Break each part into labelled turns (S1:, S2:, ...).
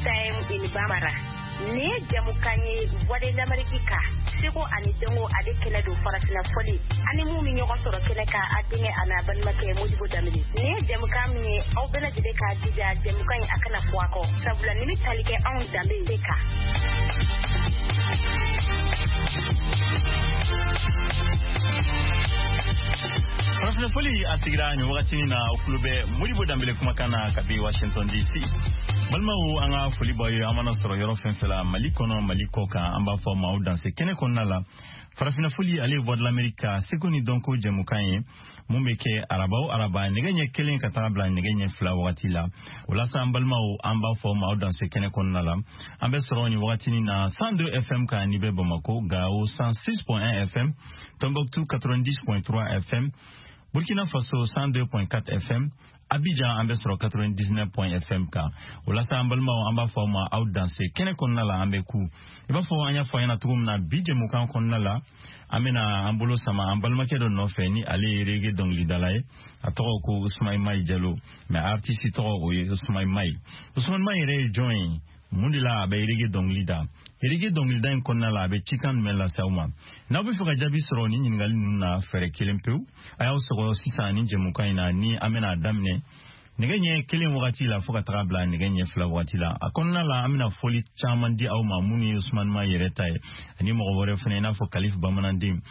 S1: Time in Bambara. Nin ye jamukan ye Voix de l'Amérique kan, seko ani dɔnko ale kɛnɛ don, farafinna fɔli ani mun bɛ ɲɔgɔn sɔrɔ kɛnɛ kan, a denkɛ a n'a balimakɛ Modibo Danbele. Nin ye jamukan min ye, aw bɛɛ lajɛlen k'a jija jamukan in a kana fɔ a kɔ, sabula nin bɛ tali kɛ anw danbe de kan.
S2: Farafinna fɔli a sigira nin wagati na, aw tulo bɛ Modibo Danbele kumakan na kabi Washington DC. Balimaw, an ka foli b'aw ye an mana sɔrɔ yɔrɔ fɛn fɛn la, Mali kɔnɔ, Mali kɔ kan. An b'a fɔ maaw danse kɛnɛ kɔnɔna la. Farafinna fɔli ale ye Voix de l'Amérique ka seko ni dɔnko jɛmukan ye mun bɛ kɛ araba o araba nɛgɛ ɲɛ 1 ka taga bila nɛgɛ ɲɛ 2 wagati la. O la sa, an balimaw, an b'a fɔ maaw danse kɛnɛ kɔnɔna la. An bɛ sɔrɔ nin wagatinin na 102 FM kan n'i bɛ Bamako, Gao 106.1 FM, Tombouctou 90.3 FM, Burkina Faso 102.4 FM, Abidjan an bɛ sɔrɔ 99 FM kan. O la sa, an balimaw, an b'a fɔ aw ma aw danse kɛnɛ kɔnɔna la. An bɛ ku i b'a fɔ an y'a fɔ a ɲɛna cogo min na, bi jɛmukan kɔnɔna la, an bɛna an bolo sama an balimakɛ dɔ nɔfɛ ni ale ye reggae dɔnkilidala ye. A tɔgɔ ko Usumani Mayi Jalo, mais artiste tɔgɔ o ye Usumani Mayi. Usumani Mayi yɛrɛ ye jɔn ye? Mun de la a bɛ reggae dɔnkili da? Reggae dɔnkilida in kɔnɔna la, a bɛ cikan jumɛn lase aw ma? N'aw bɛ fɛ ka jaabi sɔrɔ ni ɲininkali ninnu na, fɛɛrɛ kelen pewu, a y'aw sɔgɔ sisan ni jɛmukan in na ni an bɛna a daminɛ nɛgɛ ɲɛ 1 wagati la fo ka taga bila nɛgɛ ɲɛ 2 wagati la. A kɔnɔna la, an bɛna fɔli caman di aw ma minnu ye Usumani Mayi yɛrɛ ta ye ani mɔgɔ wɛrɛ fana, i n'a fɔ Kalif Bamananden.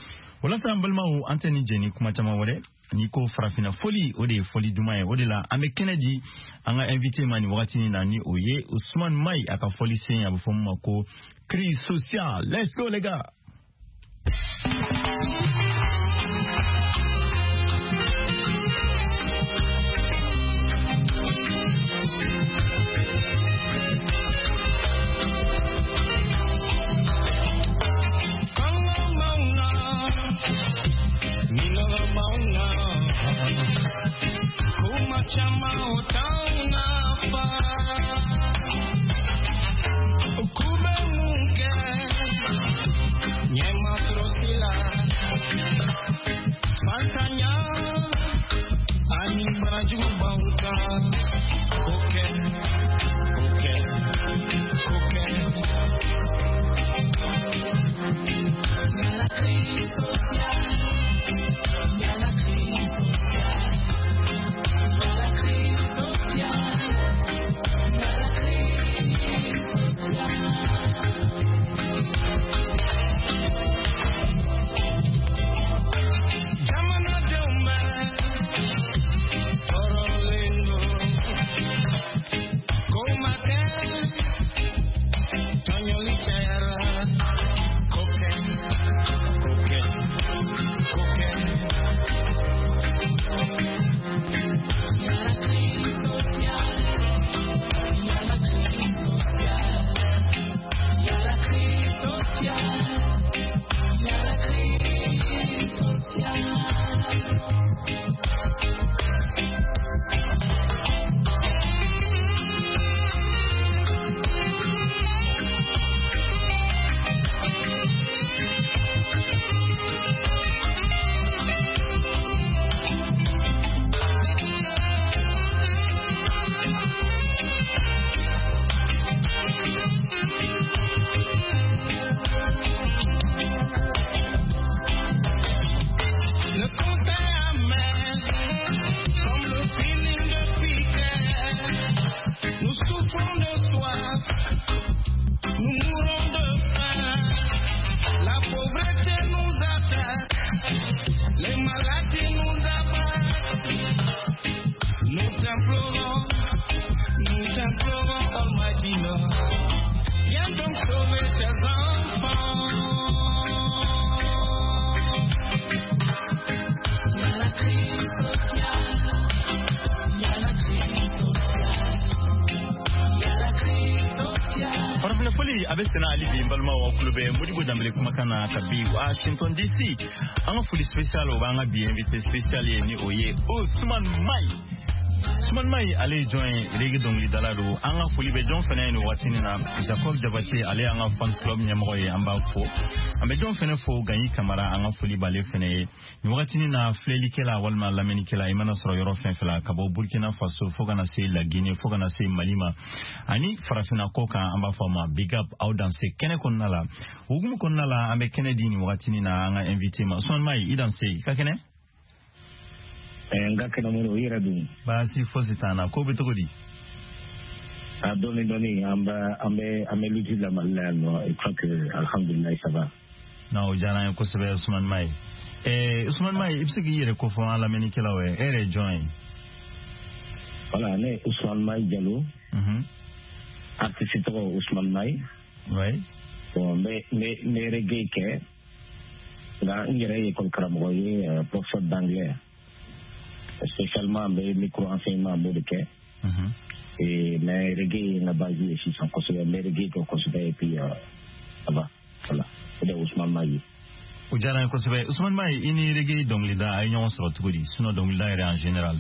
S2: Walasa an balimaw, an tɛ nin jɛ ni kuma caman wɛrɛ. N'i ko farafinna fɔli, o de ye fɔli duman ye. O de la an bɛ kɛnɛ di an ka invité ma nin wagati in na, ni o ye Usumani Mayi, a ka fɔli sen a bɛ fɔ min ma ko crise sociale. Let's go les gars. A bɛ senna hali bi, n balimaw, aw tulo bɛ Modibo Danbele kumakan na kabi Washington DC. An ka foli spécial o b'an ka bi invité spécial ye, ni o ye Usumani Mayi. Ousmane Mayi, ale ye jɔn ye? Reggae dɔnkilidala don. An ka foli bɛ jɔn fɛnɛ ye nin waati nin na? Jacob Jabate, ale y'an ka fans club ɲɛmɔgɔ ye, an b'a fo. An bɛ jɔn fɛnɛ fo? Ganyi Kamara, an ka foli b'ale fɛnɛ ye nin wagati nin na. Filɛlikɛla walima lamɛnnikɛla, i mana sɔrɔ yɔrɔ fɛn fɛn la, ka bɔ Burkina Faso fo kana se Laginɛ, fo kana se Mali ma ani farafinna kɔ kan, an b'a fɔ ma big up, aw danse kɛnɛ kɔnɔna la. Hukumu kɔnɔna la, an bɛ kɛnɛ di nin wagati nin na an ka invité ma. Ousmane Mayi, i danse, i ka kɛnɛ?
S3: N ka kɛnɛ o, i yɛrɛ dun?
S2: Baasi fosi t'an na. Ko bɛ cogo di?
S3: A dɔɔni dɔɔni, an bɛ lutte la Mali la yan nɔ. Je crois que alhamdulilayi, ça va.
S2: Non, o diyara an ye kosɛbɛ, Ousmane Mayi. Ousmane Mayi, i bɛ se k'i yɛrɛ kofɔ an lamɛnnikɛlaw ye? E yɛrɛ ye jɔn ye?
S3: Voilà, ne ye Ousmane Mayi Jalo. Artiste tɔgɔ Ousmane Mayi. Bon, n bɛ reggae kɛ, nka n yɛrɛ ye école karamɔgɔ ye, professeur d'anglais. Spécialement n bɛ micro enseignement, n b'o de kɛ. Et mais reggae ye n ka base ye sisan kosɛbɛ, n bɛ reggae kɛ kosɛbɛ et puis ça va. Voilà, o de ye Ousmane Mayi ye.
S2: O diyara n ye kosɛbɛ. Ousmane Mayi, i ni reggae dɔnkilida, a ye ɲɔgɔn sɔrɔ cogo di? Sinon dɔnkilida yɛrɛ en général.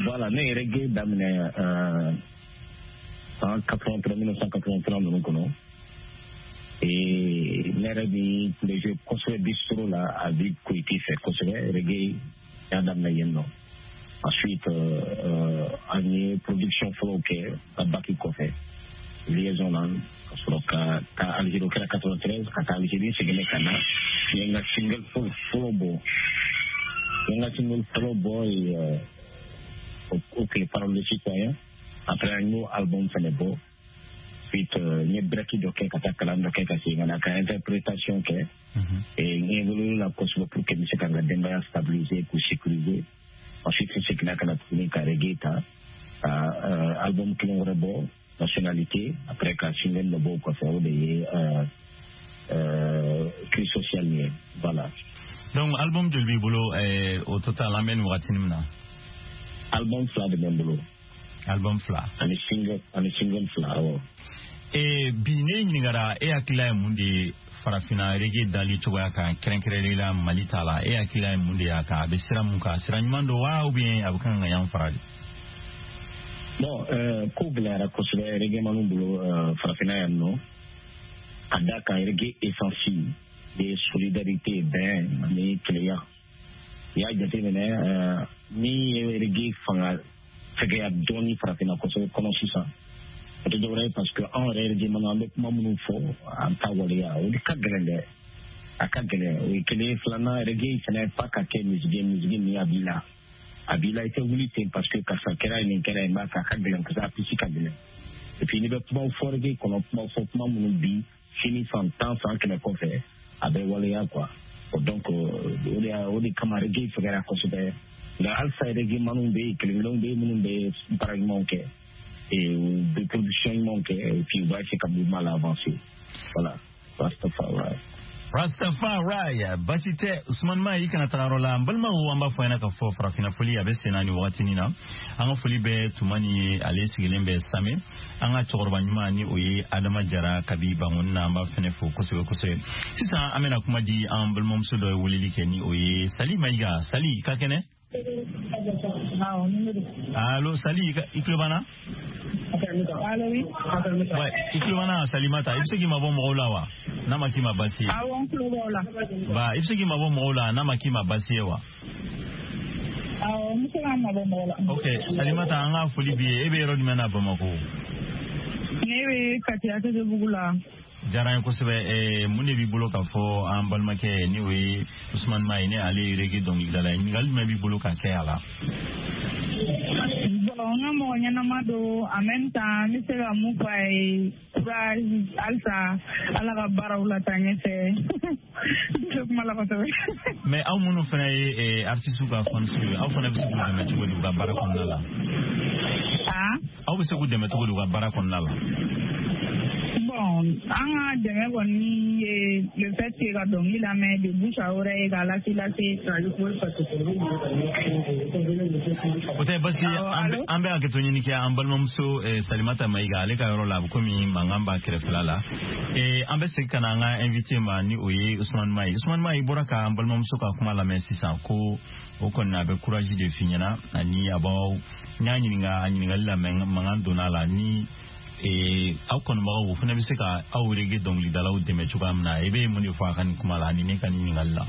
S3: Voilà, ne ye reggae daminɛ san 83, 1983 ninnu kɔnɔ. Et ne yɛrɛ bi tun bɛ jouer kosɛbɛ bistro la a bi Koyite fɛ kosɛbɛ. Reggae y'a daminɛ yen nɔ. Ensuite an ye production fɔlɔw kɛ ka bac kɔfɛ liaison na, ka sɔrɔ ka taa Algérie. O kɛra 93, ka taa Algérie, seginna ka na, n ye n ka single fɔlɔ bɔ. N ye n ka single fɔlɔ bɔ o tile, Parole de citoyen. Après an y'o album fɛnɛ bɔ. Ensuite n ye break dɔ kɛ ka taa kalan dɔ kɛ, ka segin ka na ka interprétation kɛ. Et n évolué la kosɛbɛ pour que n bɛ se ka n ka denbaya stabiliser, k'u sécuriser. Ensuite n seginna ka na tuguni ka reggae ta, ka album kelen wɛrɛ bɔ, Nationalité. Après ka single dɔ bɔ o kɔfɛ, o de ye Cri social ye. Voilà.
S2: Donc album joli b'i bolo au total, an bɛ nin wagati min na?
S3: Album fila de bɛ n bolo.
S2: Album fila.
S3: Ani single fila, awɔ.
S2: Bi ne ɲininkara, e hakilila ye mun de ye farafinna reggae dali cogoya kan, kɛrɛnkɛrɛnnenya la Mali ta la? E hakilila ye mun de y'a kan? A bɛ sira mun kan? Sira ɲuman don wa, ou bien a bɛ kan ka yan fara de?
S3: Bon, ko gɛlɛyara kosɛbɛ reggae bolo farafinna yan nɔ, ka da kan reggae essence de solidarité, bɛn ani kelenya. I y'a jateminɛ, min ye reggae fanga fɛgɛya dɔɔni farafinna kosɛbɛ kɔnɔ sisan, o tɛ dɔwɛrɛ ye parce que anw yɛrɛ reggae an bɛ kuma minnu fɔ, an t'a waleya. O de ka gɛlɛn dɛ, a ka gɛlɛn. O ye kelen ye. Filanan, reggae fɛnɛ fa ka kɛ musique ye, musique min a b'i la, a b'i la, i tɛ wuli ten parce que karisa kɛra ye, nin kɛra ye, n b'a fɛ. A ka gɛlɛn kosɛbɛ, a pisi ka gɛlɛn. Et puis n'i bɛ kumaw fɔ reggae kɔnɔ, kumaw fɔ, kuma minnu bi sini, san 10, san 100 kɔfɛ, a bɛ waleya quoi. Donc o de kama reggae fɛgɛra kosɛbɛ. Nka halisa reggae maniw bɛ yen, kelen kelenw bɛ yen minnu bɛ baara ɲumanw kɛ et u bɛ production ɲumanw kɛ, et puis u b'a essayer ka mouvement la avancer. Voilà, Rastafari.
S2: Rastafari, basi tɛ. Usman Mayi, i kana taga yɔrɔ la. N balimaw, an b'a fɔ ɲɛna k'a fɔ farafinna foli a bɛ sen na nin wagatinin na. An ka foli bɛ Tumani ye, ale sigilen bɛ Same. An ka cɛkɔrɔba ɲuman ni o ye Adama Jara kabi Bangoni na, an b'a fɛnɛ fo kosɛbɛ kosɛbɛ. Sisan an bɛna kuma di an balimamuso dɔ ye weleli kɛ, ni o ye Sali Mayiga. Sali, i ka kɛnɛ? Allo Sali, i tulo b'an na? Ouais, i tulo b'an na? Salimata, i bɛ se k'i mabɔ mɔgɔw la wa, n'a ma k'i ma baasi ye?
S4: Awɔ, n tulo b'aw la.
S2: Ba, i bɛ se k'i mabɔ mɔgɔw la, n'a ma k'i ma baasi ye wa?
S4: Awɔ, n bɛ se k'an mabɔ mɔgɔ la.
S2: Ok, Salimata, an ka foli b'i ye. E bɛ yɔrɔ jumɛn na Bamakɔ?
S4: Ne bɛ Kati ATT-bugu la.
S2: Diyara n ye kosɛbɛ. Mun de b'i bolo k'a fɔ an balimakɛ, ni o ye Usumani Mayi, ni ale ye reggae dɔnkilidala ye? Ɲininkali jumɛn b'i bolo ka kɛ a la?
S4: Bon, n ka mɔgɔ ɲɛnama don. En même temps, n bɛ se ka mun fɔ a ye? Courage halisa, Ala ka baaraw la taa ɲɛfɛ. N tɛ kuma la kosɛbɛ.
S2: Mais aw minnu fana ye artiste ka fans ye, aw fana bɛ se k'u dɛmɛ cogo di u ka baara kɔnɔna la?
S4: Ah?
S2: Aw bɛ se k'u dɛmɛ cogo di u ka baara kɔnɔna la?
S4: Bon, Bon, an ka dɛmɛ kɔni ye le fait que ka dɔnkili lamɛn de bouche à oreille, k'a lase lase.
S2: O tɛ basi. An bɛ hakɛto ɲini kɛ an balimamuso Salimata Mayiga, ale ka yɔrɔ la, a bɛ komi mankan b'a kɛrɛfɛla la. An bɛ segin ka na an ka invité ma, ni o ye Usumani Mayi. Usumani Mayi bɔra ka an balimamuso ka kuma lamɛn sisan, ko o kɔni a bɛ courage de f'i ɲɛna, ani a b'aw n y'a ɲininka a ɲininkali la, mankan donna a la, ni aw kanubagaw o fana bɛ se ka aw reggae dɔnkilidalaw dɛmɛ cogoya min na. I bɛ mun de fɔ a ka nin kuma la ani ne ka nin ɲininkali la?